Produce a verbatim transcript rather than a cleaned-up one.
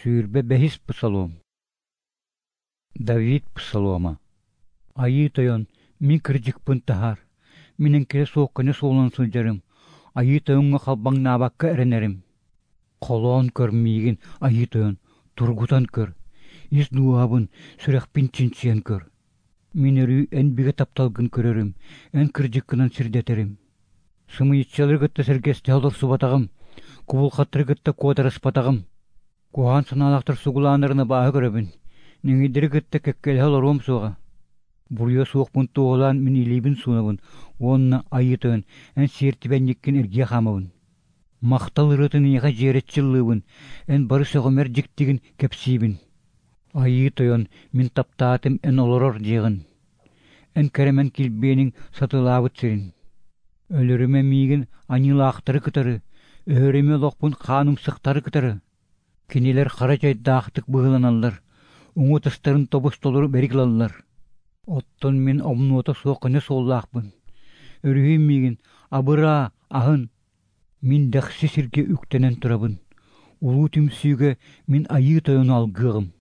Сүүрбэ бэһис псалом. Давид псалома. Айыы Тойон, мин кырдьыкпын таһаар. Мин эҥкилэ суох көнө суолунан сылдьарым, Айыы Тойоҥҥо халбаҥнаабакка эрэнэрим. Холоон көр миигин, Айыы Тойон, тургутан көр. Ис дууһабын, сүрэхпин чинчийэн көр. Мин өрүү эн бигэ тапталгын көрөрүм, эн кырдьыккынан сирдэтэрим. Сымыйыччалары кытта сэргэстэһэ олорсубатаҕым, кубулҕаттары кытта куотарыспатаҕым. Куһаҕан санаалаахтар сугулааннарын абааһы көрөбүн, нэҥийдэри кытта кэккэлэһэ олоруом суоҕа. Буруйа суохпун туоһулаан мин илиибин суунабын уонна Айыы Тойон, эн сиэртибэнньиккин эргийэ хаамабын. Махтал ырыатын эйиэхэ дьиэрэччи ыллыыбын, эн бары сөҕүмэр дьиктигин кэпсиибин. Айыы Тойон, мин таптаатым эн олорор дьиэҕин, эн кэрэмэн килбиэниҥ сатыылаабыт сирин. Өлөрүмэ миигин аньыылаахтары кытары, өһөрүмэ олохпун хаанымсыктары кытары. Кинилэр хара дьайдаахтык быһыыланаллар, уҥа ытыстарын тобус-толору бэрик ылаллар. Оттон мин омнуота суох көнө суоллаахпын. Өрүһүй миигин, абыраа, аһын. Мин дэхси сиргэ үктэнэн турабын. Улуу түмсүүгэ мин Айыы Тойону алгыаҕым.